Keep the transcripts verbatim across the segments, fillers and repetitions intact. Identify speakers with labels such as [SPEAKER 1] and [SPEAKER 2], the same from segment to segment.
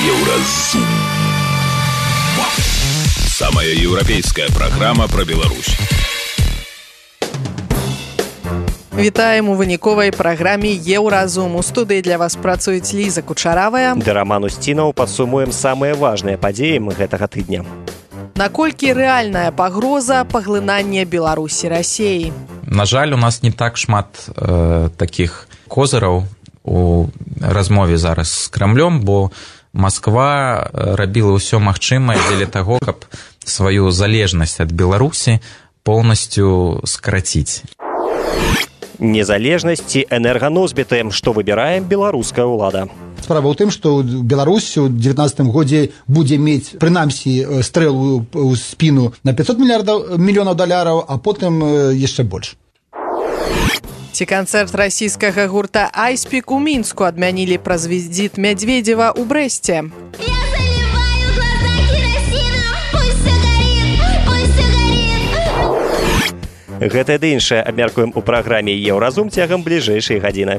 [SPEAKER 1] Еўразум. Самая еўрапейская программа про Беларусь.
[SPEAKER 2] Вітаем у выніковай праграме «Еўразум». У студыі для вас працуюць Ліза Кучаравая
[SPEAKER 3] да Роман Устінаў. Падсумуем самыя важныя падзеі гэтага тыдня.
[SPEAKER 2] Наколькі рэальная пагроза паглынання Беларусі Расіяй?
[SPEAKER 4] На жаль, у нас не так шмат э, такіх козыраў у размове зараз з Крамлём, бо Масква рабіла ўсё магчымае дзеля таго, каб сваю залежнасць ад Беларусі поўнасцю скараціць.
[SPEAKER 3] Незалежнасць ці энерганосьбіты, што выбірае беларуская ўлада.
[SPEAKER 5] Справа ў тым, што Беларусь у дзевятнаццатым годзе будзе мець, прынамсі, стрэлу ў спіну на пятьсот мільёнаў даляраў, а потым яшчэ больш.
[SPEAKER 2] Ці канцэрт расійскага гурта «Айспік» у Мінску адмянілі праз візіт Мядзведзева ў Брэсце.
[SPEAKER 3] Гэта ды іншае абмяркуем у праграме «Еўразум» цягам бліжэйшай гадзіны.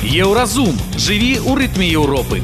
[SPEAKER 1] Еўразум. Жыві ў рытме Еўропы.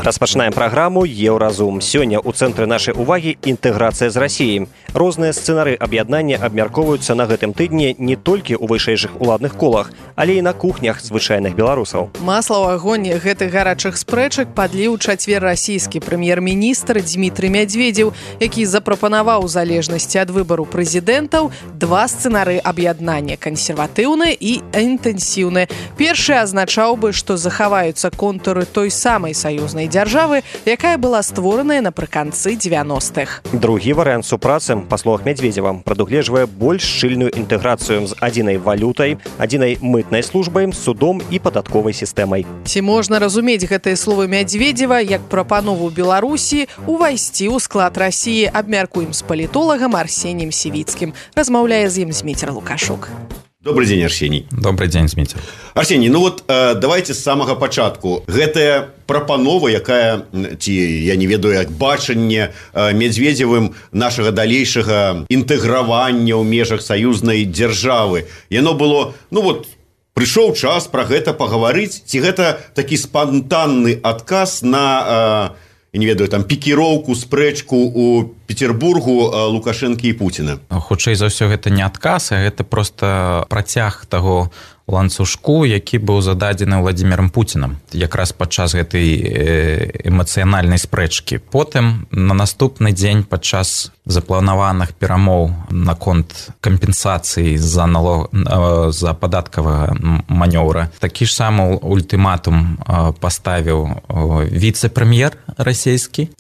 [SPEAKER 3] Распачынаем праграму «Еўразум». Сёння ў цэнтры нашай увагі інтэграцыя з Расіяй. Розныя сцэнары аб'яднання абмяркоўваюцца на гэтым тыдні не толькі ў вышэйшых уладных колах, але і на кухнях звычайных беларусаў.
[SPEAKER 2] Масла ў агонь гэтых гарачых спрэчак падліў у чацвер расійскі прэм'ер-міністр Дзмітрый Мядзведзеў, які запрапанаваў у залежнасці ад выбару прэзідэнтаў два сцэнары аб'яднання – кансерватыўны і інтэнсіўны. Першы азначаў бы, што захаваюцца контуры той самай саюзнай дзяржавы, якая была створаная напрыканцы дзевяностых.
[SPEAKER 3] Другі варыянт супрацы, па словах Мядзведзева, прадугледжвае больш шчыльную інтэграцыю з адзінай валютай, адзінай мытнай службай, судом і падатковай сістэмай.
[SPEAKER 2] Ці можна разумець гэтыя словы Мядзведзева як прапанову Беларусі увайсці ў склад Расіі? Абмяркуем з палітолагам Арсеніем Сівіцкім. Размаўляе з ім Зміцер Лукашук.
[SPEAKER 6] Добрый день, Арсений.
[SPEAKER 4] Добрый день, Зміцер.
[SPEAKER 6] Арсений, ну вот э, давайте з самага пачатку. Гэтая прапанова, якая, ці я не ведаю, як бачанне э, Мядзведзевым нашага далейшага інтэгравання ў межах саюзнай дзяржавы. Яно было, ну вот, прыйшоў час пра гэта пагаварыць, ці гэта такі спантанны адказ на, э, я не ведаю, там, пікіроўку, спрэчку ў Петербургу Лукашэнкі і Пуціна?
[SPEAKER 4] Хутчэй за ўсё, гэта не адказ, а гэта проста працяг таго ланцужку, які быў зададзены Владзімірам Пуцінам якраз падчас гэтай эмацыянальнай спрэчкі. Потым на наступны дзень падчас запланаваных перамоў наконт кампенсацыі за налог за падаткавага манёўра такі ж самы ультыматум паставіў віцэ-прэм'ер расійскі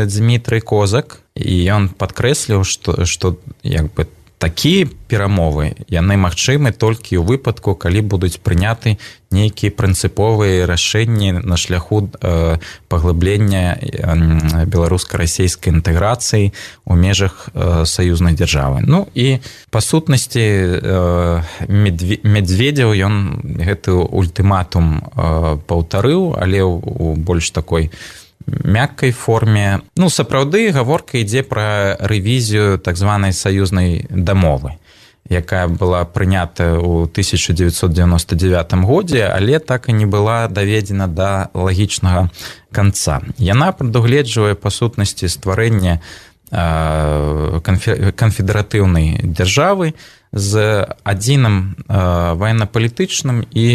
[SPEAKER 4] Дзмітрый Козак, і ён падкрэсліў, што, што як бы такія перамовы, яны магчымы толькі ў выпадку, калі будуць прыняты нейкія прынцыповыя рашэнні на шляху э, паглыблення э, беларуска-расійскай інтэграцыі ў межах э, саюзнай дзяржавы. Ну і па сутнасці э, Мядзведзеў ён гэты ультыматум э, паўтарыў, але ў больш такой мяккай форме. Ну, сапраўды, гаворка ідзе пра рэвізію так званай саюзнай дамовы, якая была прынята ў тысяча дзевяцьсот дзевяноста дзевятым годзе, але так і не была даведзена да лагічнага канца. Яна прадугледжвае па сутнасці стварэння канфедэратыўнай дзяржавы з адзіным ваенна-палітычным і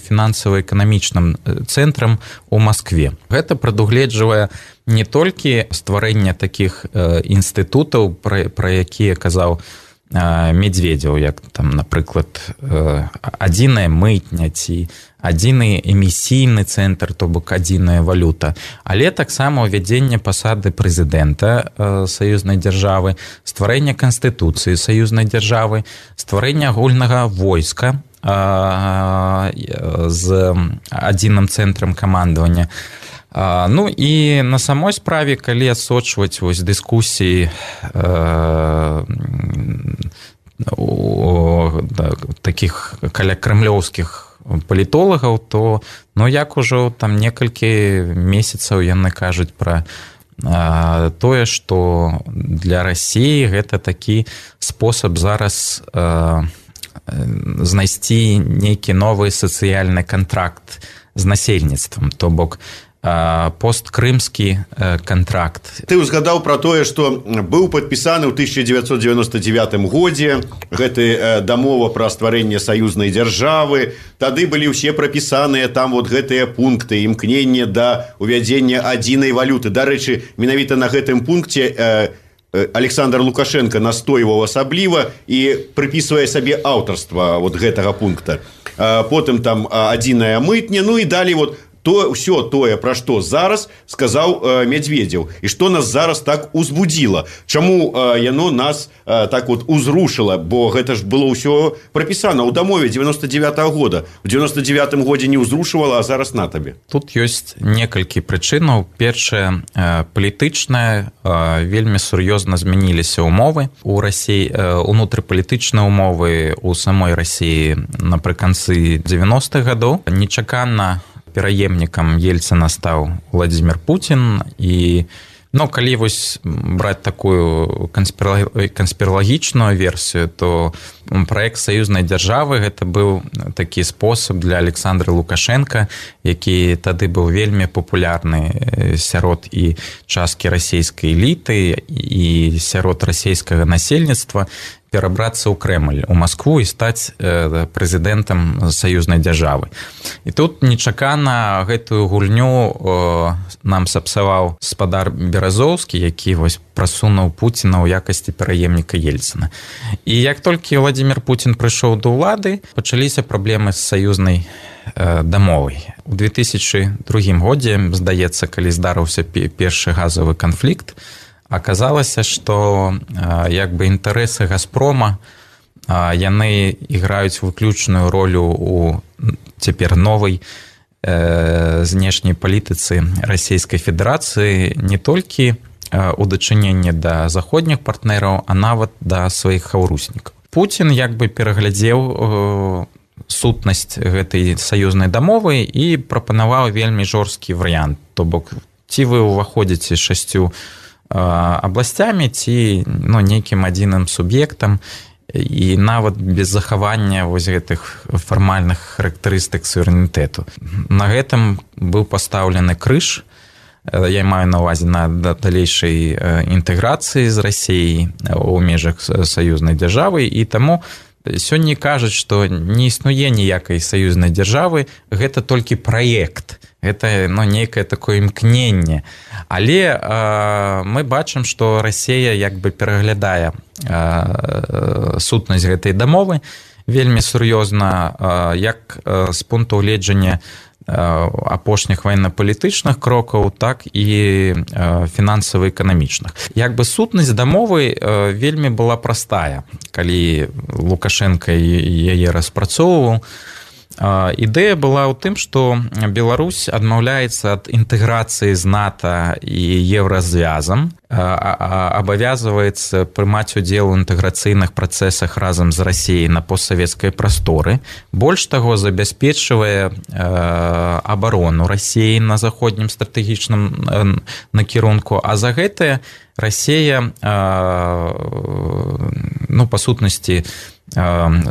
[SPEAKER 4] фінансава-эканамічным цэнтрам у Маскве. Гэта прадугледжвае не толькі стварэнне такіх інстытутаў, пра, пра якія казаў Мядзведзеў, як там, напрыклад, адзіная мытня ці адзіны эмісійны цэнтр, то бок адзіная валюта, але таксама ўвядзенне пасады прэзідэнта саюзнай дзяржавы, стварэнне канстытуцыі саюзнай дзяржавы, стварэнне агульнага войска з адзіным цэнтрам камандавання. Ну і на самой справе, калі адсочваць вось дыскусіі э, у, да, такіх каля крамлёўскіх палітолагаў, то ну як ужо там некалькі месяцаў яны кажуць пра э, тое, што для Расіі гэта такі спосаб зараз э, знайсці нейкі новы сацыяльны кантракт з насельніцтвам, то бок посткрымскі контракт.
[SPEAKER 6] Ты узгадаў пра тое, што быў падпісаны ў тысяча дзевяцьсот дзевяноста дзевятым годзе гэты дамова пра стварэнне саюзнай дзяржавы. Тады былі ўсе прапісаныя там вот гэтыя пункты, імкненне да увядзення адзінай валюты. Дарэчы, менавіта на гэтым пункце Александр Лукашенко настойваў асабліва і прыпісвае сабе аўтарства вот гэтага пункта. Потым там адзіная мытня, ну і далей вот то ўсё тое, пра што зараз сказаў э, Медведзеў, і што нас зараз так узбудзіла. Чаму э, яно нас э, так вот узрушыла, бо гэта ж было ўсё прапісана ў дамове дзевяноста дзевятага года. У дзевяноста дзевятым годзе не ўзрушывала, а зараз на табе.
[SPEAKER 4] Тут ёсць некалькі прычынаў. Першае, э, палітычнае, э, вельмі сур'ёзна змяніліся ўмовы у Расіі, э, унутрыпалітычныя ўмовы ў самой Расіі напрыканцы дзевяностых гадоў. Нечакана пераемнікам Ельцына стаў Владзімір Пуцін, і ну, калі вось браць такую канспіралагічную версію, то праект саюзнай дзяржавы гэта быў такі спосаб для Александра Лукашенка, які тады быў вельмі папулярны сярод і часткі расійскай эліты і сярод расійскага насельніцтва, перабрацца ў Крэмль, у Маскву і стаць э, прэзідэнтам саюзнай дзяржавы. І тут нечакана гэтую гульню э, нам сапсаваў спадар Беразоўскі, які вось прасунуў Пуціна ў якасці пераемніка Ельцына. І як толькі Владзімір Пуцін прыйшоў да ўлады, пачаліся праблемы з саюзнай э, дамовай. У две тысячы другім годзе, здаецца, калі здарыўся першы газавы канфлікт, аказалася, што як бы інтарэсы Газпрома яны іграюць выключную ролю у цяпер новай знешняй палітыцы Расійскай Федэрацыі не толькі у дачыненні да заходніх партнераў, а нават да сваіх хаўруснікаў. Пуцін як бы пераглядзеў сутнасць гэтай саюзнай дамовы і прапанаваў вельмі жорсткі варыянт. То бок, ці вы ўваходзіце шасцю абласцямі, ці ну, нейкім адзіным суб'ектам, і нават без захавання вось гэтых фармальных характарыстык суверэнітэту. На гэтым быў пастаўлены крыж, я маю на ўвазе на далейшай інтэграцыі з Расіяй у межах саюзнай дзяржавы, і таму сёння кажуць, што не існуе ніякай саюзнай дзяржавы, гэта толькі праект. Гэта ну, нейкае такое імкненне. Але э, мы бачым, што Расія як бы пераглядае э, сутнасць гэтай дамовы вельмі сур'ёзна, э, як э, з пункту гледжання э, апошніх ваенна-палітычных крокаў, так і э, фінансава-эканамічных. Як бы сутнасць дамовы э, вельмі была простая, калі Лукашенко яе распрацоўваў. Ідэя была ў тым, што Беларусь адмаўляецца ад інтэграцыі з НАТО і еўразвязам, абавязваецца прымаць удзел у інтэграцыйных працэсах разам з Расіяй на постсавецкай прасторы. Больш таго, забяспечвае абарону Расіі на заходнім стратэгічным накірунку, а за гэтае Расія, ну, па сутнасці,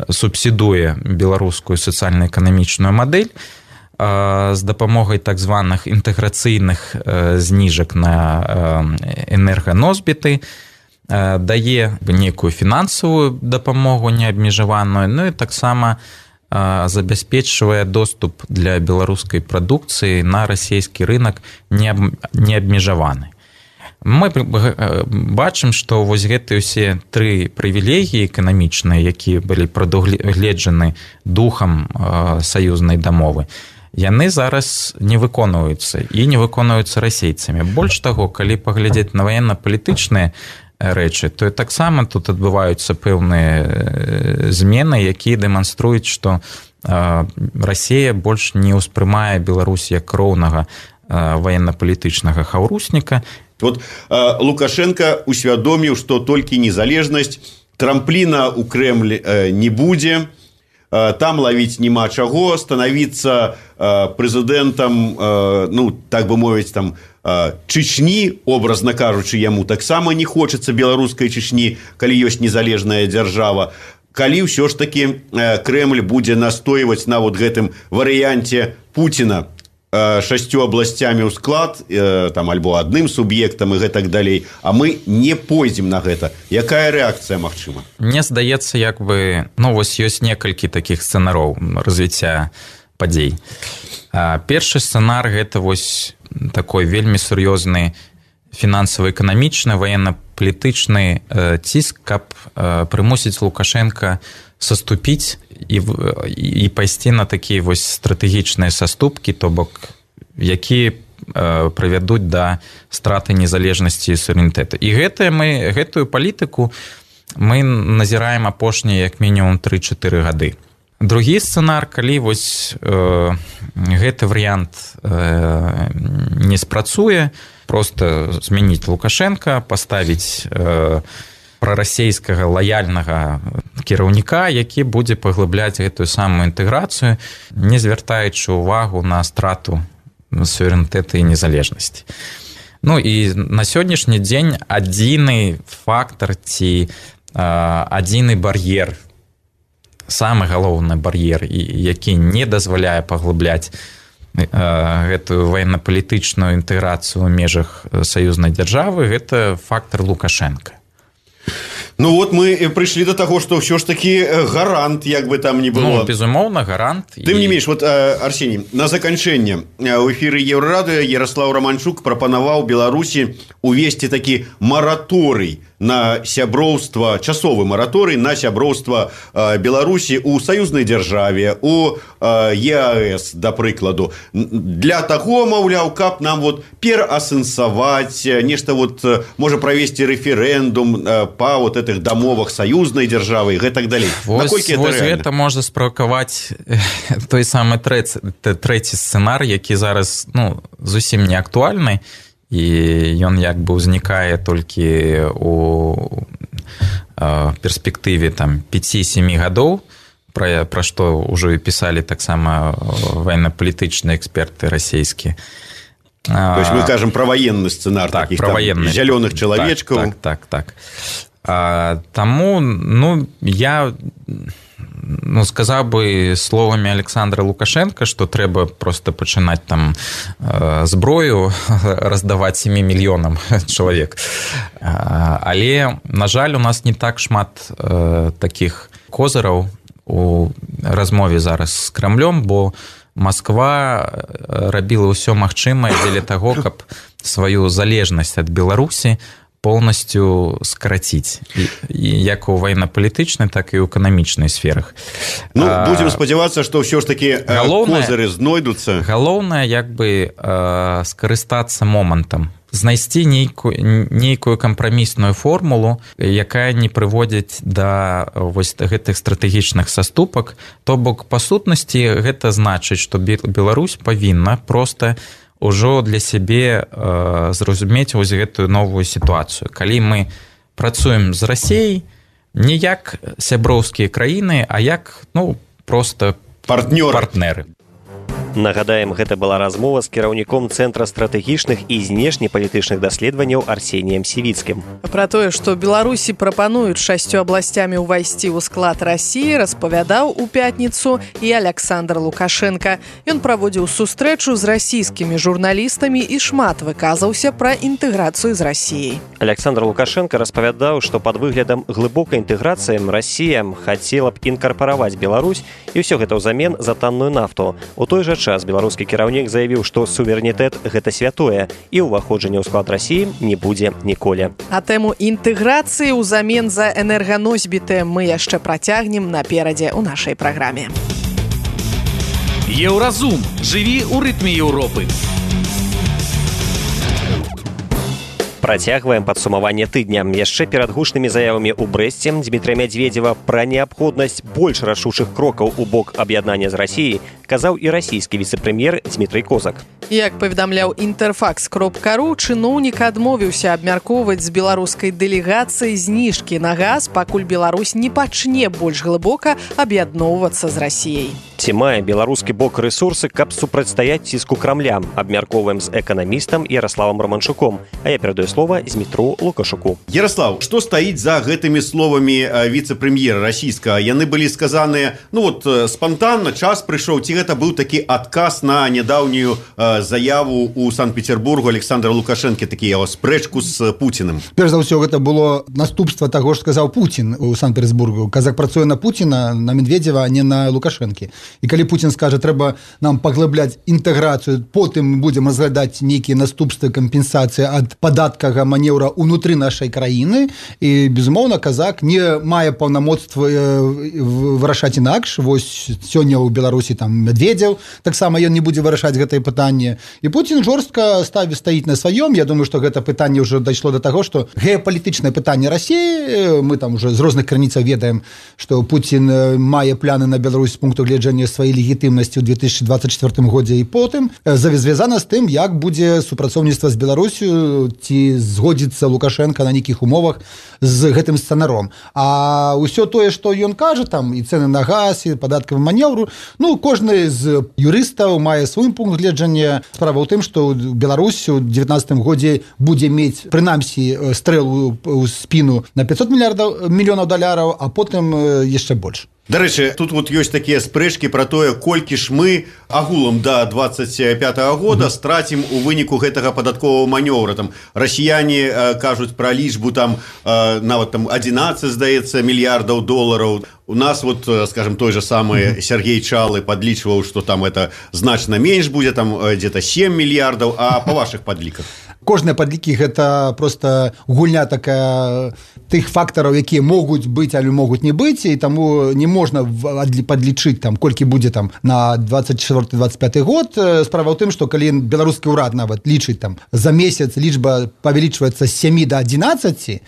[SPEAKER 4] субсідуе беларускую сацыяльна-эканамічную мадэль з дапамогай так званых інтэграцыйных зніжак на энерганосьбіты, дае нейкую фінансавую дапамогу неабмежаваную, ну і таксама забяспечвае доступ для беларускай прадукцыі на расійскі рынок неабмежаваны. Мы бачым, што вось гэтыя ўсе тры прывілегіі эканамічныя, якія былі прадугледжаны духам саюзнай дамовы, яны зараз не выконваюцца і не выконваюцца расейцамі. Больш таго, калі паглядзець на ваенна-палітычныя рэчы, то таксама тут адбываюцца пэўныя змены, якія дэманструюць, што Расія больш не ўспрымае Беларусь як роўнага ваенна-палітычнага хаўрусніка.
[SPEAKER 6] Вот э, Лукашенко усвядоміў, што толькі незалежнасць, трампліна ў Крэмль э, не будзе, э, там лавіць няма чаго, станавіцца э, прэзідэнтам, э, ну, так бы мовіць, там, э, Чечні, образна кажучы, яму таксама не хочацца беларускай Чечні, калі ёсць незалежная дзяржава. калі ўсё ж таки Крэмль будзе настойваць на вот гэтым варыянце Пуціна шасцю абласцямі ў склад там альбо адным суб'ектам і гэтак далей, а мы не пойдзем на гэта. Якая рэакцыя магчыма?
[SPEAKER 4] Мне здаецца, як бы, ну вось ёсць некалькі такіх сцэнароў развіцця падзей. Першы сцэнар гэта вось такой вельмі сур'ёзны фінансава-эканамічны, ваенна-палітычны ціск, каб прымусіць Лукашенка саступіць і, і пайсці на такія вось стратэгічныя саступкі, то бок якія э, прывядуць да страты незалежнасці і суверэнітэта. І гэтае мы гэтую палітыку мы назіраем апошнія як мінімум тры-чатыры гады. Другі сцэнар, калі вось э, гэты варыянт э, не спрацуе, просто змяніць Лукашенка, паставіць э, прарасейскага лаяльнага кіраўніка, які будзе паглыбляць гэтую самую інтэграцыю, не звяртаючы ўвагу на страту суверэнітэта і незалежнасці. Ну і на сённяшні дзень адзіны фактар ці адзіны бар'ер, самы галоўны бар'ер, які не дазваляе паглыбляць гэтую ваенна-палітычную інтэграцыю ў межах саюзнай дзяржавы, гэта фактар Лукашенка.
[SPEAKER 6] Ну вот мы прыйшлі до таго, што ўсё ж такі гарант, як бы там ни было.
[SPEAKER 4] Ну, безумоўна, гарант.
[SPEAKER 6] Тым не менш, вот, Арсеній, на заканчэнне ў эфіры Еўрарадыё Ярослаў Романчук прапанаваў Беларусі увесці такі мараторый на сяброўства, часовы мараторый на сяброўства Беларусі ў саюзнай дзяржаве, у ЕАЭС, да прыкладу, для таго, маўляў, каб нам вот пераасэнсаваць, нешта вот, можа правесці рэферэндум па вот этих дамовах саюзнай дзяржавы і гэтак далей.
[SPEAKER 4] Вось, вось гэта можа справакаваць той самы трэці, трэці сцэнар, які зараз, ну, зусім не актуальны, і ён як бы ўзнікае толькі у перспектыве там пяці-сямі гадоў, пра, пра што ўжо і пісалі таксама ваенна-палітычныя эксперты расійскія.
[SPEAKER 6] То есть мы кажам пра военны сцэнар,
[SPEAKER 4] так,
[SPEAKER 6] такіх
[SPEAKER 4] там
[SPEAKER 6] зялёных чалавечкаў.
[SPEAKER 4] Так, так, так. так. А, таму, ну, я ну, сказаў бы словамі Александра Лукашенка, што трэба просто пачынаць там э, зброю раздаваць сямі мільёнам чалавек. А, але, на жаль, у нас не так шмат э, такіх козыраў у размове зараз з Крамлём, бо Масква рабіла ўсё магчымае дзеля таго, каб сваю залежнасць ад Беларусі полностью скараціць, і, і як у ваенна-палітычнай, так і ў эканамічнай сферах.
[SPEAKER 6] Ну, будзем спадзявацца, што ўсё ж такі козыры знойдуцца.
[SPEAKER 4] Галоўнае, як бы, скарыстацца момантам, знайсці нейкую, нейкую кампрамісную формулу, якая не прыводзіць да вось гэтых стратэгічных саступак. То бок, па сутнасці, гэта значыць, што Беларусь павінна проста ўжо для сябе э, зразумець вось гэтую новую сітуацыю. Калі мы працуем з Расіяй не як сяброўскія краіны, а як, ну, проста
[SPEAKER 6] партнёры.
[SPEAKER 4] партнеры.
[SPEAKER 3] Нагадаем, гэта была размова з кіраўніком Цэнтра стратэгічных і знешнепалітычных даследаванняў Арсеніем Сівіцкім.
[SPEAKER 2] Пра тое, што Беларусі прапануюць шасцю абласцямі ўвайсці ў склад Расіі, распавядаў у пятніцу і Александр Лукашенка. Ён праводзіў сустрэчу з расійскімі журналістамі і шмат выказаўся пра інтэграцыю з Расіяй.
[SPEAKER 3] Александр Лукашенко распавядаў, што пад выглядам глыбокай інтэграцыі Расія хацела б інкарпараваць Беларусь, і ўсё гэта ўзамен за танную нафту. У той жа час беларускі кіраўнік заявіў, што суверэнітэт – гэта святое, і ўваходжання ў склад Расіі не будзе ніколі.
[SPEAKER 2] А тэму інтэграцыі ўзамен за энерганосьбіты мы яшчэ працягнем наперадзе ў нашай праграме.
[SPEAKER 1] Еўразум. Жыві ў рытме Еўропы.
[SPEAKER 3] Працягваем падсумаванне тыдня. Яшчэ перад гучнымі заявамі ў Брэсце Дмітрия Мядзведзева пра неабходнасць больш рашучых крокаў у бок аб'яднання з Расіяй казаў і расійскі віцэ-прэм'ер Дмітрий Козак.
[SPEAKER 2] Як паведамляў Інтэрфакс кропка ру, чыноўнік адмовіўся абмяркоўваць з беларускай дэлегацыяй зніжкі на газ, пакуль Беларусь не пачне больш глыбока аб'ядноўвацца з Расіяй.
[SPEAKER 3] Ці мае беларускі бок рэсурсы, каб супрацьстаяць ціску Крамля? Абмяркоўваем з эканамістам Ярославам Романчуком. А я перадаю слова Змітру Лукашуку.
[SPEAKER 6] Ярослав, што стаіць за гэтымі словамі віцэ-прэм'ера расійскага? Яны былі сказаныя, ну вот, спантанна, час прыйшоў, ці гэта быў такі адказ на нядаўнюю заяву ў Санкт-Петербургу Александра Лукашэнкі, такі яго спрэчку з Пуціным?
[SPEAKER 5] Перш за ўсё, гэта было наступства таго, што сказаў Пуцін у Санкт-Петербургу. Казак працуе на Пуціна, на Медведзева, а не на Лукашэнкі. І калі Пуцін скажа, трэба нам паглыбляць інтэграцыю, потым будзем разглядаць нейкія наступствы кампенсацыі ад падаткага манеўра ўнутры нашай краіны, і, безумоўна, казак не мае паўнамоцтва вырашаць інакш. Вось сёння ў Беларусі там Медведзеў, таксама ён не будзе вырашаць гэтае пытанне. І Пуцін жорстка ставіць стаіць на сваём. Я думаю, што гэта пытанне ўжо дайшло до таго, што геапалітычнае пытанне Расіі, мы там уже з розных крыніцаў ведаем, што Пуцін мае пляны на Беларусь з пункту гледжання сваёй легітымнасці ў две тысячы двадцать четвёртым годзе, і потым звязана з тым, як будзе супрацоўніцтва з Беларусю, ці згодзіцца Лукашенко на нейкіх умовах з гэтым сцэнаром. А ўсё тое, што ён кажа, там і цэны на газ, і падаткавы манеўру, ну, кожны з юрыстаў мае свой пункт гледжання. Справа ў тым, што Беларусь у девятнадцатым годзе будзе мець, прынамсі, стрэлу ў спіну на пятьсот мільярдаў мільёнаў даляраў, а потым яшчэ больш.
[SPEAKER 6] Дарэчы, тут вот ёсць такія спрэчкі пра тое, колькі ж мы агулам да двадцать пятого года страцім у выніку гэтага падатковага манёвра. Там расіяне э, кажуць пра лічбу там э, нават там одиннадцать, здаецца, мільярдаў долараў. У нас вот, скажем, той же самый Сергей Чалы подлічваў, што там это значна менш будзе, там где-то семь мільярдаў, а па вашых падліках?
[SPEAKER 5] Кожныя падлікі гэта просто гульня такая тых фактараў, якія могуць быць, але могуць не быць, і таму не можна падлічыць там колькі будзе там на двадцать четвёрты двадцать пяты год. Справа ў тым, што калі беларускі ўрад нават лічыць там за месяц, лічба павялічваецца з сямі да адзінаццаці.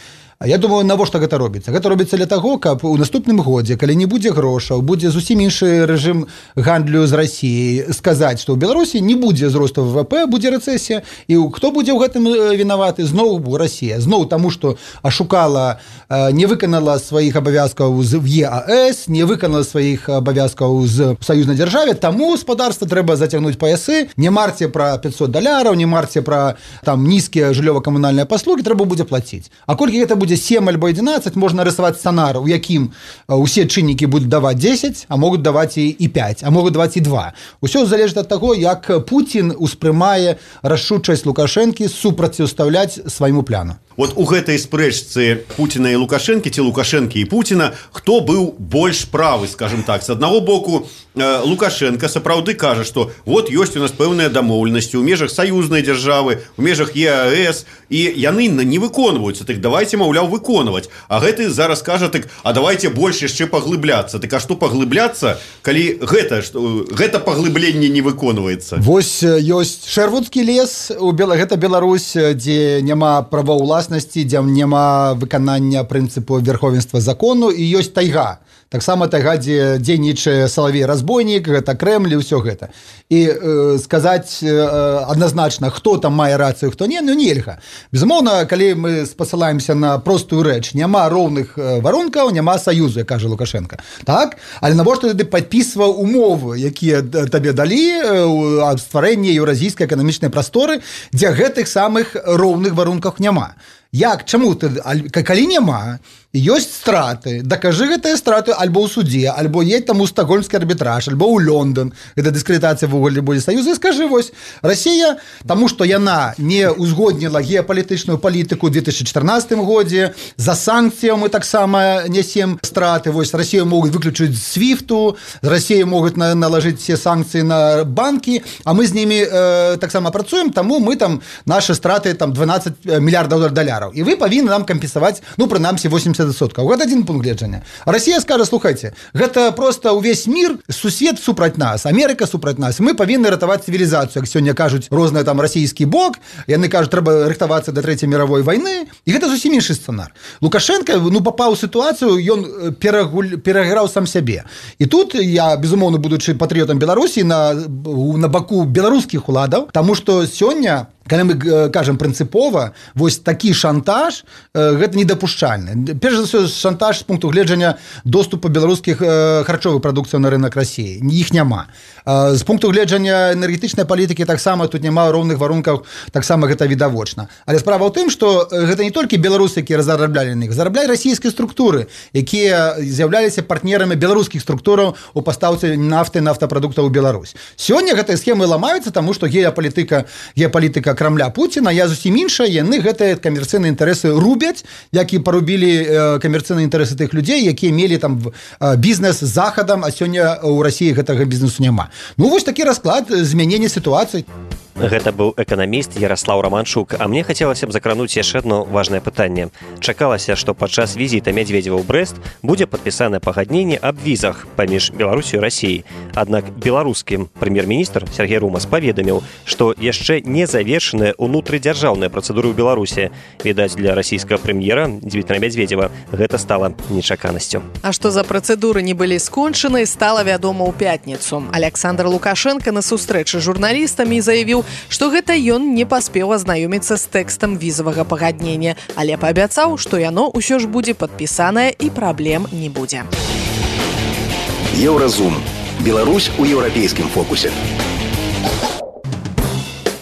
[SPEAKER 5] Я думаю, навошта гэта робіцца? Гэта робіцца для таго, каб у наступным годзе, калі не будзе грошаў, будзе зусім іншы рэжым гандлю з Расіяй, сказаць, што ў Беларусі не будзе зросту ВВП, будзе рэцэсія, і хто будзе ў гэтым вінаваты? Зноў Расія. Зноў таму, што ашукала, не выканала сваіх абавязкаў з ЕАЭС, не выканала сваіх абавязкаў з саюзнай дзяржаве, таму гаспадарства трэба зацягнуць паясы, не марце пра пятьсот даляраў, не марце пра там нізкія жыллёва-камунальныя паслугі, трэба будзе плаціць. А колькі гэта будзе семь альбо одиннадцать, можна рисовать сценар, у якім усе чыннікі будуць даваць десять, а могуць даваць і пять, а могуць даваць і два. Усё залежыць ад таго, як Пуцін успрымае рашучасць Лукашэнкі супрацьстаўляць свайму пляну.
[SPEAKER 6] Вот у гэтай спрэчцы Пуціна і Лукашэнкі, ці Лукашэнкі і Пуціна, хто быў больш правы, скажем так? З аднаго боку, Лукашенко сапраўды кажа, што вот ёсць у нас пэўныя дамоўленасці ў межах саюзнай дзяржавы, у межах ЕАЭС, і яны не выконваюцца, так давайте, маўляў, выконваць. А гэты зараз кажа, так, а давайте больш яшчэ паглыбляцца. Так а што паглыбляцца, калі гэта, што, гэта паглыбленне не выконваецца?
[SPEAKER 5] Вось ёсць Шэрвудскі лес, у Бела, гэта Беларусь, дзе няма праваўласнасці, дзе няма выканання прынцыпу верховенства закону, і ёсць тайга. Таксама тайга, дзе дзейнічае Салавей-разбойнік, гэта Крэмль і ўсё гэта. І э, сказаць э, адназначна, хто там мае рацыю, хто не, ну нельга. Безумоўна, калі мы спасылаемся на простую рэч, няма роўных варункаў, няма саюзу, як кажа Лукашенко. Так? Але навошта ты падпісваў умовы, якія табе далі аб стварэнні еўразійскай эканамічнай прасторы, дзе гэтых самых роўных варунках няма? Як, чаму ты, калі няма, ёсць страты, дакажы гэтыя страты альбо ў судзе, альбо едь там у стокгольмскі арбітраж, альбо ў Лондон, гэта дыскрэдытацыя в уголе будзе саюза, і скажы, вось, Расія, таму што яна не узгодніла геапалітычную палітыку ў две тысячи чатырнаццатым годзе, за санкцыяў мы таксама нясем страты, вось, Расію могуць выключыць з свіфту, з Расію могуць на, налажыць все санкцыі на банкі, а мы з німі э, таксама працуем, таму мы там, нашы страты там дванаццаць мільярдаў даляраў, і вы павінны нам кампенсаваць, ну, прынамсі, восемьдесят процентов. Гэта один пункт гледжання. Расія скажа, слухайце, гэта просто ўвесь мір, сусед супраць нас, Амерыка супраць нас, мы павінны ратаваць цывілізацыю, як сёння кажуць розныя там расійскі бок, яны кажуць, трэба рыхтавацца да трэцяй мировой вайны, і гэта зусім іншы сцэнар. Лукашенко, ну, папаў у сітуацыю, ён перагуль, пераграў сам сябе. І тут я, безумоўна, будучы патрыётам Беларусі, на, на баку беларускіх уладаў, таму што сёння калі мы кажам прынцыпова, вось такі шантаж гэта недапушчальны. Перш за ўсё шантаж з пункту гледжання доступу беларускіх харчовых прадукцыяў на рынок Расіі. Іх няма. З пункту гледжання энергетычнай палітыкі таксама тут няма роўных варункаў, таксама гэта відавочна. Але справа ў тым, што гэта не толькі беларусы, якія зараблялі на іх, зараблялі расійскія структуры, якія з'яўляліся партнерамі беларускіх структураў у пастаўцы нафты, нафтапрадуктаў у Беларусь. Сёння гэтыя схемы ламаюцца, таму што геапалітыка, геапалітыка Крамля Пуціна, я зусім іншая, яны гэтыя камерцыйныя інтарэсы рубяць, як і парубілі камерцыйныя інтарэсы тых людзей, якія мелі там бізнес з захадам, а сёння ў Расіі гэтага бізнесу няма. Ну, вось такі расклад змянення сітуацыі.
[SPEAKER 3] Гэта быў эканаміст Ярослаў Романчук, а мне хацелася б закрануць яшчэ одно важнае пытанне. Чакалася, што падчас візіта Мядзведзева ў Брэст будзе падпісанае пагадненне аб візах паміж Беларусю і Расіяй. Аднак беларускі прэм'ер-міністр Сергей Румас паведаміў, што яшчэ не завершаныя ўнутрыдзяржаўныя працэдуры ў Беларусі. Відаць, для расійскага прэм'ера Дмітрия Мядзведзева гэта стала нечаканасцю.
[SPEAKER 2] А што за працэдуры не былі скончаны, стала вядома ў пятніцу. Александр Лукашенко на сустрэчы з журналістамі заявіў, што гэта ён не паспеў азнаёміцца з тэкстам візавага пагаднення, але паабяцаў, што яно ўсё ж будзе падпісанае і праблем не будзе.
[SPEAKER 7] Еўразум. Беларусь у еўрапейскім фокусе.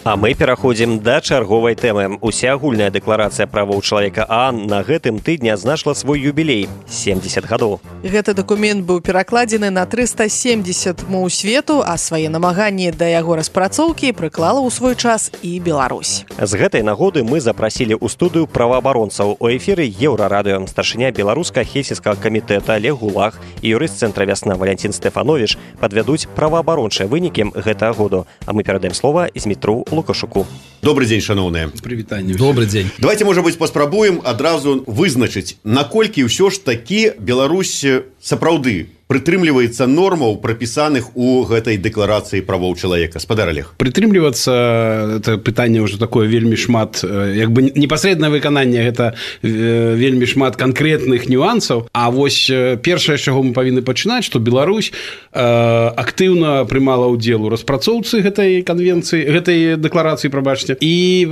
[SPEAKER 3] А мы пераходзім да чарговай тэмы. Усеагульная дэкларацыя правоў чалавека ААН на гэтым тыдні адзначыла свой юбілей – семьдесят гадоў.
[SPEAKER 2] Гэты дакумент быў перакладзены на трыста семьдесят моў свету, а свае намаганні да яго распрацоўкі прыклала ў свой час і Беларусь.
[SPEAKER 3] З гэтай нагоды мы запрасілі ў студыю праваабаронцаў. У эфіры Еўрарадыё старшыня беларуска-хельсінскага камітэта Олег Гулах і юрыст цэнтра «Вясна» Валянцін Стэфановіч падвядуць праваабарончыя вынікі гэтага году. А мы перадаем слова Змітру Лукашуку.
[SPEAKER 6] Добрый день, шановные.
[SPEAKER 8] Привитание.
[SPEAKER 5] Добрый день.
[SPEAKER 6] Давайте, может быть, паспрабуем адразу вызначыць, наколькі ўсё ж такі Беларусь сапраўды прытрымліваецца нормаў, прапісаных у гэтай дэкларацыі правоў чалавека. Спадар Олег.
[SPEAKER 8] Прытрымлівацца, это пытанне ўжо такое вельмі шмат, як бы непасрэднае выкананне, гэта вельмі шмат канкрэтных нюансаў. А вось першае, з чаго мы павінны пачынаць, што Беларусь актыўна прымала ўдзел у распрацоўцы гэтай канвенцыі, гэтай дэкларацыі, прабачце, і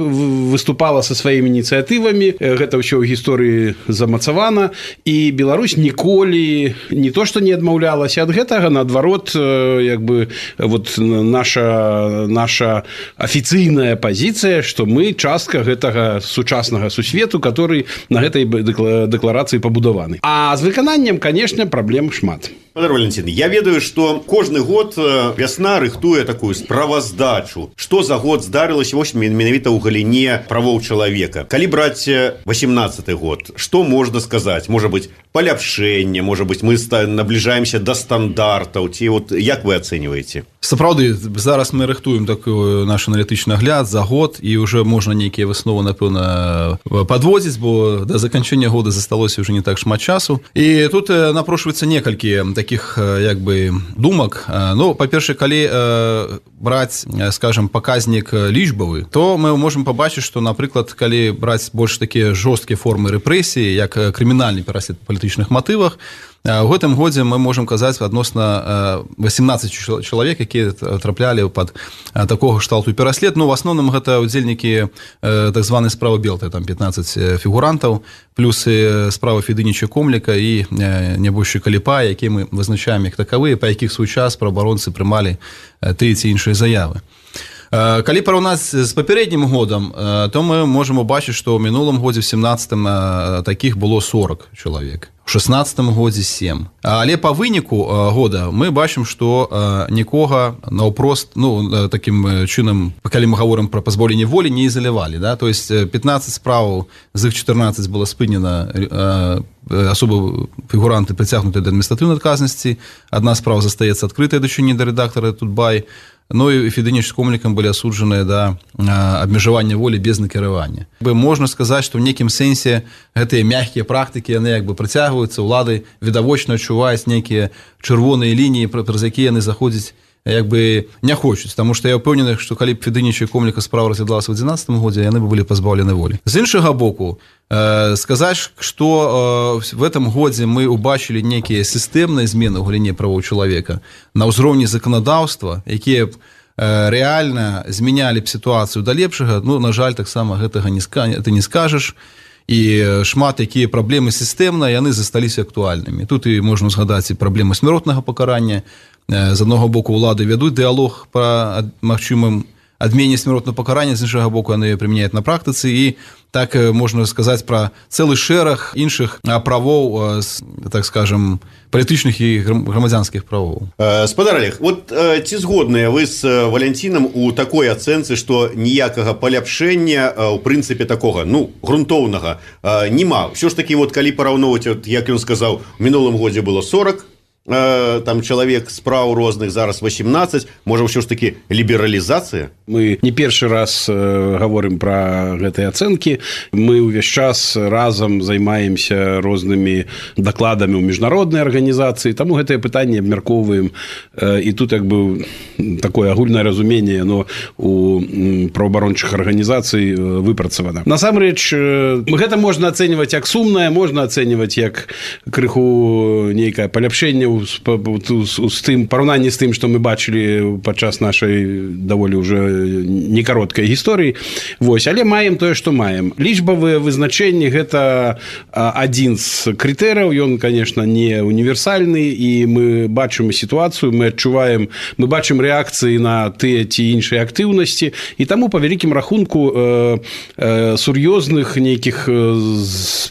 [SPEAKER 8] выступала са сваімі ініцыятывамі. Гэта ўсё ў гісторыі замацавана, і Беларусь ніколі не то, што не адмаўлялася ад гэтага, наадварот, як бы вот наша наша афіцыйная пазіцыя, што мы частка гэтага сучаснага сусвету, который на гэтай дэкларацыі пабудаваны. А з выкананнем, конечно, праблем шмат.
[SPEAKER 6] Спадар Валентин, я ведаю, што кожны год «Вясна» рыхтуе такую справаздачу, што за год здарылася вось менавіта ў галіне правоў чалавека. Калі браць восемнадцаты год, што можна сказаць? Можа быць, паляпшэнне, можа быць, мы набліжаемся да стандартаў, ці вот як вы ацэньваеце?
[SPEAKER 9] Сапраўды, зараз мы рыхтуем такой наш аналітычны агляд за год, і ўжо можна нейкія высновы, напэўна, падводзіць, бо да заканчэння года засталося ўжо не так шмат часу. І тут напрошваецца некалькі таких, як бы, думак. Ну, па-першае, калі браць, скажем, паказнік лічбавы, то мы можем пабачыць, што, напрыклад, калі браць больш такія жорсткія формы рэпрэсіі, як крымінальны пераслед па палітычных матывах, у гэтым годзе мы можам казаць адносна восемнадцать чалавек, якія траплялі пад такога кшталту пераслед. Ну, в асноўным гэта удзельнікі так званай справы Белты, там пятнадцать фігурантаў, плюс справа Федыніча Комліка і нябольшы Каліпа, якія мы вызначаем як такавыя, па якіх свой час праваабаронцы прымалі тыя ці іншыя заявы. Калі параўнаць з папярэднім годам, то мы можам убачыць, што ў мінулым годзе в семнадцатым такіх было сорок чалавек. У шестнадцатым годзе сем. Але па выніку года мы бачым, што нікога наўпрост, ну, такім чынам, калі мы гаворым пра пазбаўленне волі, не ізалявалі, да? То есть пятнадцать справаў, з іх чатырнаццаць было спынена, асобы фігуранты прыцягнуты да адміністратыўнай адказнасці, адна справа застаецца адкрытая дачыненне да рэдактара Тутбай, ну і Федыніч з Комлікам былі асуджаныя да абмежавання волі без накіравання. Можна сказаць, што ў нейкім сэнсе гэтыя мяккія практыкі, яны як бы прыцягваюцца, улады відавочна адчуваюць нейкія чырвоныя лініі, праз якія яны заходзяць як бы не хочуць, таму што я ўпэўнены, што калі б Федыніча і Комліка справа разглядалася ў адзінаццатым годзе, яны бы былі пазбаўлены волі. З іншага боку, э, сказаць, што э, в этом годзе мы убачылі нейкія сістэмныя змены ў галіне правоў чалавека на ўзроўні заканадаўства, якія рэальна змянялі б сітуацыю да лепшага, ну, на жаль, таксама гэтага не ты не скажаш, і шмат якія праблемы сістэмна, яны засталіся актуальнымі. Тут і можна згадаць і праблемы смяротнага пакарання. З аднаго боку ўлады вядуць дыялог па магчымым адмене смяротнага пакарання, з іншага боку яны прымяняюць на практыцы, і так можна сказаць пра цэлы шэраг іншых правоў, так скажем, палітычных і грамадзянскіх правоў.
[SPEAKER 6] Спадар Олег, вот ці згодныя вы з Валянцінам у такой ацэнцы, што ніякага паляпшэння у прынцыпе такога, ну, грунтоўнага няма. Ўсё ж такі, вот, калі параўноўваць, вот, як ён сказаў, у мінулым годзе было сорок там чалавек справ розных, зараз восемнадцать, можа ўсё ж такі лібералізацыя?
[SPEAKER 8] Мы не першы раз э, говорим про гэтыя ацэнкі. Мы ўвесь час разам займаемся рознымі дакладамі ў міжнароднай арганізацыі, таму гэтае пытанне абмяркоўваем, э, і тут як бы такое агульнае разуменне, но у праваабарончых арганізацый выпрацавана. Насамрэч, э, гэта можна ацэньваць як сумнае, можна ацэньваць як крыху нейкае паляпшэнне з тым параўнанні з тым, што мы бачылі падчас нашай даволі ўжо не кароткай гісторыі. Вось, але маем тое, што маем. Лічбавыя вызначэнні гэта адзін з крытэрыяў, ён, конечно, не універсальны, і мы бачым сітуацыю, мы адчуваем, мы бачым рэакцыі на тыя ці іншыя актыўнасці, і таму па вялікім рахунку э, э, сур'ёзных нейкіх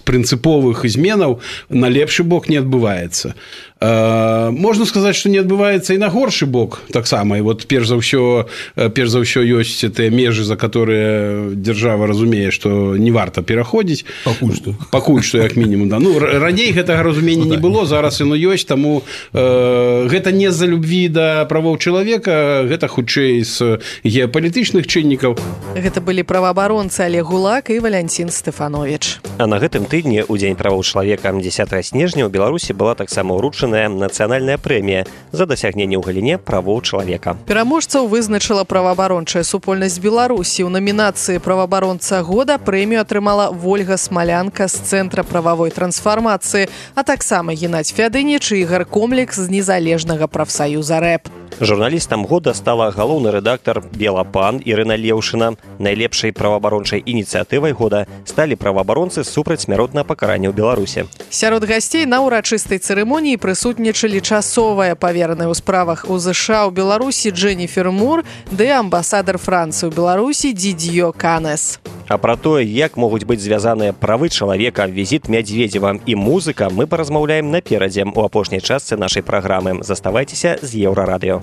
[SPEAKER 8] прынцыповых зменаў на лепшы бок не адбываецца. Можна сказаць, што не адбываецца і на горшы бок таксама. І вот перш за ўсё, перш за ўсё ёсць тыя межы, за которые дзяржава разумее, што не варта пераходзіць.
[SPEAKER 9] Пакуль што.
[SPEAKER 8] Пакуль што, як мінімум, да. Ну, раней гэтага разумення не было, зараз яно ёсць, таму э, гэта не з-за любві да правоў чалавека, гэта хутчэй з геапалітычных чыннікаў.
[SPEAKER 2] Гэта былі праваабаронцы Олег Гулак і Валянцін Стэфанович.
[SPEAKER 3] А на гэтым тыдні, у дзень правоў чалавека дзесятага снежня, у Беларусі была таксама ўручана нацыянальная прэмія за дасягненне ў галіне правоў чалавека.
[SPEAKER 2] Пераможцаў вызначыла праваабарончая супольнасць Беларусі. У намінацыі праваабаронца года прэмію атрымала Вольга Смалянка з Цэнтра прававой трансфармацыі, а таксама Геннадзь Фядыніч і Ігар Комлек з незалежнага прафсаюза рэп.
[SPEAKER 3] Журналістам года стала галоўны рэдактар Белапан Ірына Леўшына. Найлепшай праваабарончай ініцыятывай года сталі праваабаронцы супраць смяротнага пакарання ў Беларусі.
[SPEAKER 2] Сярод гасцей на ўрачыстай цырымоніі прысутнічалі часовая павераная ў справах у ЗША ў Беларусі Дженніфер Мур ды амбасадар Францыі ў Беларусі Дідзьё Канес.
[SPEAKER 3] А пра тое, як могуць быць звязаныя правы чалавека, візіт Мядзведзева і музыка, мы паразмаўляем наперадзе у апошняй частцы нашай праграмы. Заставайцеся з Еўрарадыё.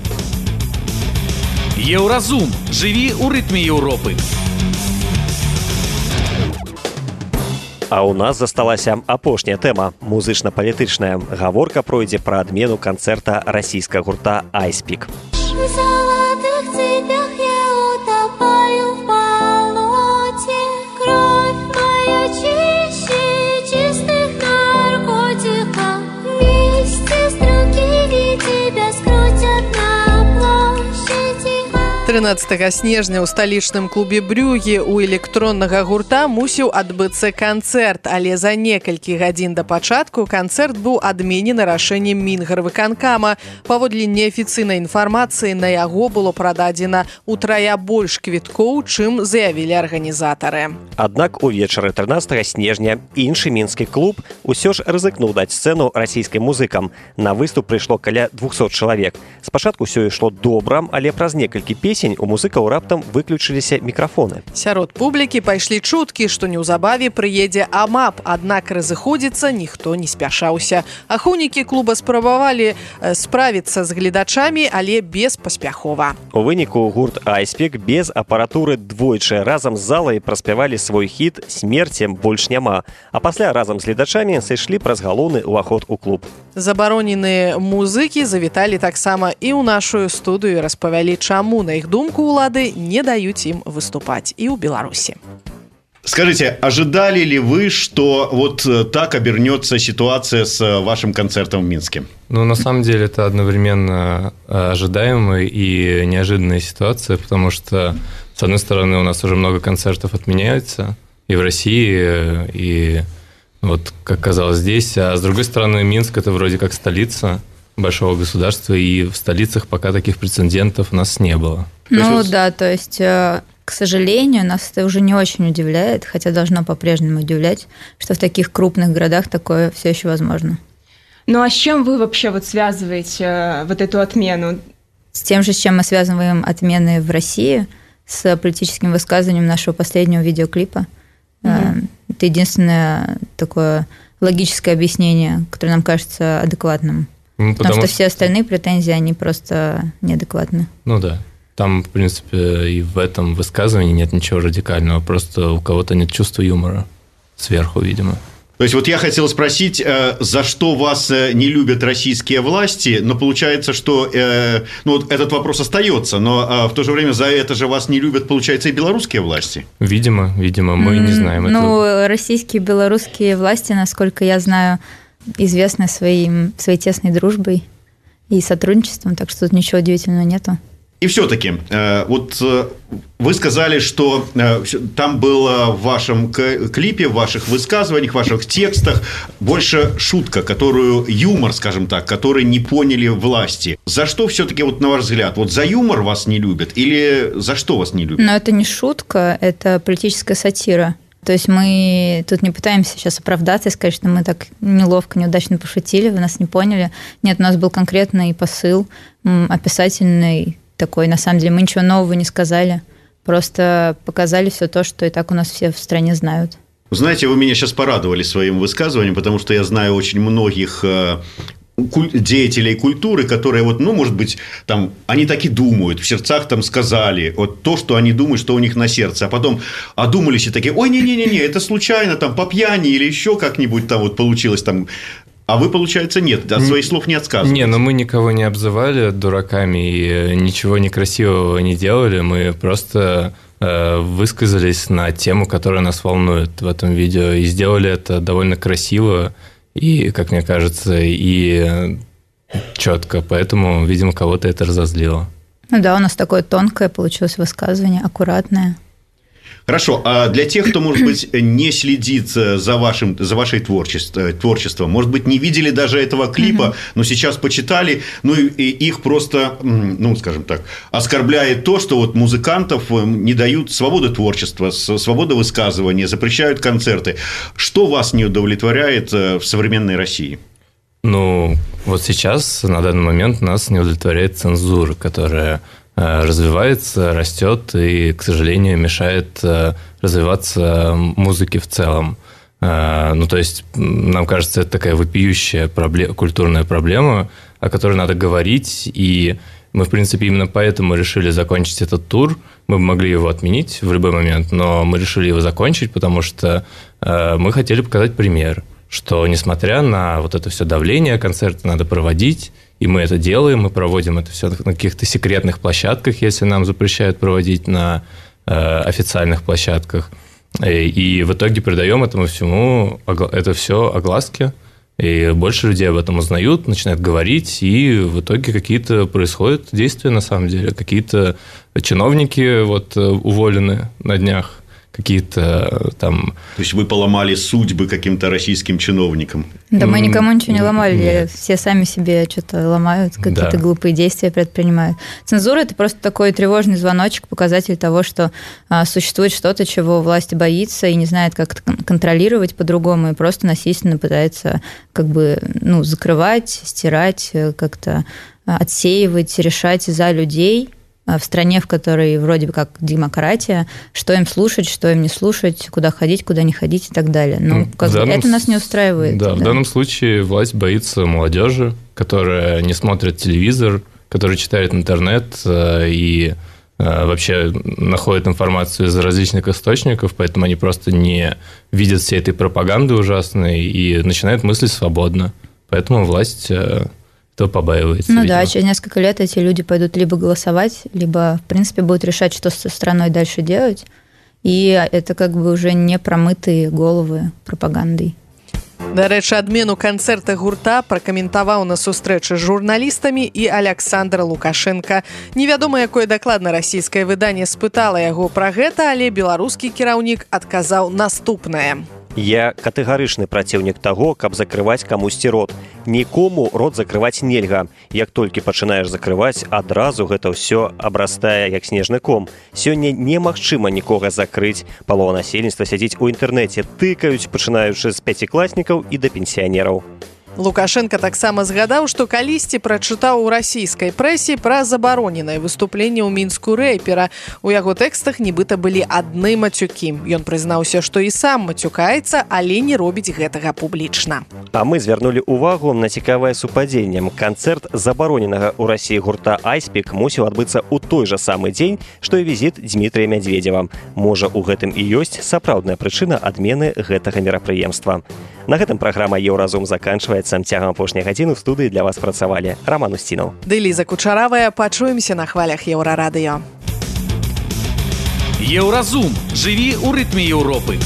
[SPEAKER 1] Еўразум. Жыві ў рытме Еўропы.
[SPEAKER 3] А ў нас засталася апошняя тэма – музычна-палітычная. Гаворка пройдзе пра адмену канцэрта расійскага гурта «Айспік».
[SPEAKER 2] трынаццатага снежня ў сталічным клубе Брюгі у электроннага гурта мусіў адбыцца канцэрт, але за некалькі гадзін да пачатку канцэрт быў адменены рашэннем Мінгарвыканкама. Паводле неафіцыйнай інфармацыі, на яго было прададзена утрая больш квіткоў, чым заявілі арганізатары.
[SPEAKER 3] Аднак увечары трынаццатага снежня іншы мінскі клуб усё ж рызыкнуў даць сцэну расійскім музыкам. На выступ прыйшло каля двухсот чалавек. Спачатку ўсё ішло добра, але праз некалькі песень у музыкаў раптам выключыліся мікрафоны.
[SPEAKER 2] Сярод публікі пайшлі чуткі, што неўзабаве прыедзе АМАП, аднак разыходзіцца ніхто не спяшаўся. Ахоўнікі клуба спрабавалі справіцца з гледачамі, але беспаспяхова.
[SPEAKER 3] У выніку гурт «Айспік» без апаратуры двойчы разам з залай праспявалі свой хіт «Смерці больш няма», а пасля разам з гледачамі сышлі праз галоўны ўваход у клуб.
[SPEAKER 2] Забароненыя музыкі завіталі таксама і ў нашу студыю, распавялі, чаму, на іх думку, улады не даюць ім выступаць і ў Беларусі.
[SPEAKER 6] Скажите, ожидали ли вы, что вот так обернется ситуация с вашим концертом в Минске?
[SPEAKER 10] Ну, на самом деле, это одновременно ожидаемая и неожиданная ситуация, потому что, с одной стороны, у нас уже много концертов отменяются и в России, и вот, как казалось, здесь, а с другой стороны, Минск – это вроде как столица большого государства, и в столицах пока таких прецедентов у нас не было.
[SPEAKER 11] Ну вот... да, то есть, к сожалению, нас это уже не очень удивляет, хотя должно по-прежнему удивлять, что в таких крупных городах такое все еще возможно.
[SPEAKER 12] Ну а с чем вы вообще вот связываете вот эту отмену?
[SPEAKER 11] С тем же, с чем мы связываем отмены в России, с политическим высказыванием нашего последнего видеоклипа. Mm-hmm. Это единственное такое логическое объяснение, которое нам кажется адекватным. Ну, потому, потому что, что все остальные претензии, они просто неадекватны.
[SPEAKER 10] Ну да. Там, в принципе, и в этом высказывании нет ничего радикального. Просто у кого-то нет чувства юмора сверху, видимо.
[SPEAKER 6] То есть вот я хотел спросить, за что вас не любят российские власти, но получается, что ну, вот этот вопрос остается, но в то же время за это же вас не любят, получается, и белорусские власти?
[SPEAKER 10] Видимо, видимо, мы mm, не знаем
[SPEAKER 11] ну, этого. Ну, российские и белорусские власти, насколько я знаю, известны своим, своей тесной дружбой и сотрудничеством, так что тут ничего удивительного нету.
[SPEAKER 6] И все-таки, вот вы сказали, что там было в вашем клипе, в ваших высказываниях, в ваших текстах больше шутка, которую, юмор, скажем так, который не поняли власти. За что все-таки, вот на ваш взгляд, вот за юмор вас не любят или за что вас не любят?
[SPEAKER 11] Но это не шутка, это политическая сатира. То есть мы тут не пытаемся сейчас оправдаться и сказать, что мы так неловко, неудачно пошутили, вы нас не поняли. Нет, у нас был конкретный посыл, описательный, такой, на самом деле, мы ничего нового не сказали, просто показали все то, что и так у нас все в стране знают.
[SPEAKER 6] Знаете, вы меня сейчас порадовали своим высказыванием, потому что я знаю очень многих деятелей культуры, которые, вот, ну, может быть, там, они так и думают, в сердцах там сказали вот то, что они думают, что у них на сердце, а потом одумались и такие, ой, не-не-не, это случайно, там, по пьяни или еще как-нибудь там вот получилось там. А вы, получается, нет, от своих слов не отказываетесь.
[SPEAKER 10] Не, но мы никого не обзывали дураками и ничего некрасивого не делали. Мы просто э, высказались на тему, которая нас волнует в этом видео. И сделали это довольно красиво и, как мне кажется, и четко. Поэтому, видимо, кого-то это разозлило.
[SPEAKER 11] Ну да, у нас такое тонкое получилось высказывание, аккуратное.
[SPEAKER 6] Хорошо, а для тех, кто, может быть, не следит за, вашим, за вашей творчеством, творчеством, может быть, не видели даже этого клипа, uh-huh. но сейчас почитали, ну и их просто, ну, скажем так, оскорбляет то, что вот музыкантов не дают свободы творчества, свободы высказывания, запрещают концерты. Что вас не удовлетворяет в современной России?
[SPEAKER 10] Ну, вот сейчас, на данный момент, нас не удовлетворяет цензура, которая развивается, растет и, к сожалению, мешает развиваться музыке в целом. Ну, то есть, нам кажется, это такая вопиющая проблема, культурная проблема, о которой надо говорить, и мы, в принципе, именно поэтому решили закончить этот тур. Мы бы могли его отменить в любой момент, но мы решили его закончить, потому что мы хотели показать пример, что, несмотря на вот это все давление, концерты надо проводить, и мы это делаем, мы проводим это все на каких-то секретных площадках, если нам запрещают проводить на э, официальных площадках. И, и в итоге придаем этому всему, это все огласке, и больше людей об этом узнают, начинают говорить, и в итоге какие-то происходят действия на самом деле. Какие-то чиновники вот, уволены на днях. Какие-то там...
[SPEAKER 6] То есть вы поломали судьбы каким-то российским чиновникам?
[SPEAKER 11] Да мы никому ничего не ломали. Нет. Все сами себе что-то ломают, какие-то да. глупые действия предпринимают. Цензура – это просто такой тревожный звоночек, показатель того, что а, существует что-то, чего власть боится и не знает, как это контролировать по-другому, и просто насильственно пытается как бы, ну, закрывать, стирать, как-то отсеивать, решать за людей – в стране, в которой вроде бы как демократия, что им слушать, что им не слушать, куда ходить, куда не ходить и так далее. Ну, как бы это нас не устраивает.
[SPEAKER 10] Да, да, в данном случае власть боится молодежи, которая не смотрит телевизор, которая читает интернет и вообще находит информацию из различных источников, поэтому они просто не видят всей этой пропаганды ужасной и начинают мыслить свободно. Поэтому власть... то побаивается.
[SPEAKER 11] Ну
[SPEAKER 10] видимо.
[SPEAKER 11] Да, через несколько лет эти люди пойдут либо голосовать, либо, в принципе, будут решать, что со страной дальше делать. И это как бы уже не промытые головы пропагандой.
[SPEAKER 2] Дарэчы, адмену канцэрта гурта пракаментаваў на сустрэчы з журналістамі і Александр Лукашенко. Невядома, якое дакладна расійскае выданне спытала яго пра гэта, але беларускі кіраўнік адказаў наступнае.
[SPEAKER 3] Я катэгарычны праціўнік таго, каб закрываць камусьці рот. Нікому рот закрываць нельга. Як толькі пачынаеш закрываць, адразу гэта ўсё абрастае як снежны ком. Сёння немагчыма нікога закрыць. Палова насельніцтва сядзіць у інтэрнэце, тыкаюць, пачынаючы з пяцікласнікаў і да пенсіянераў.
[SPEAKER 2] Лукашенко таксама згадаў, што калісьці прачытаў у расійскай прэсе пра забароненае выступленне ў Мінску рэпера. У яго тэкстах нібыта былі адны мацюкі. Ён прызнаўся, што і сам мацюкаецца, але не робіць гэтага публічна.
[SPEAKER 3] А мы звярнулі ўвагу на цікавае супадзенне. Канцэрт забароненага ў Расіі гурта «Айспік» мусіў адбыцца ў той жа самы дзень, што і візіт Дмітрыя Мядзведзева. Можа, у гэтым і ёсць сапраўдная прычына адмены гэтага мерапрыемства. На гэтым праграма «Еўразум» заканчваецца. Цягам апошняй гадзіны ў студыі для вас працавалі Роман Устінаў.
[SPEAKER 2] Ды Ліза Кучаравая. Пачуемся на хвалях Еўрарадыё.
[SPEAKER 1] Еўразум. Жыві ў рытме Еўропы.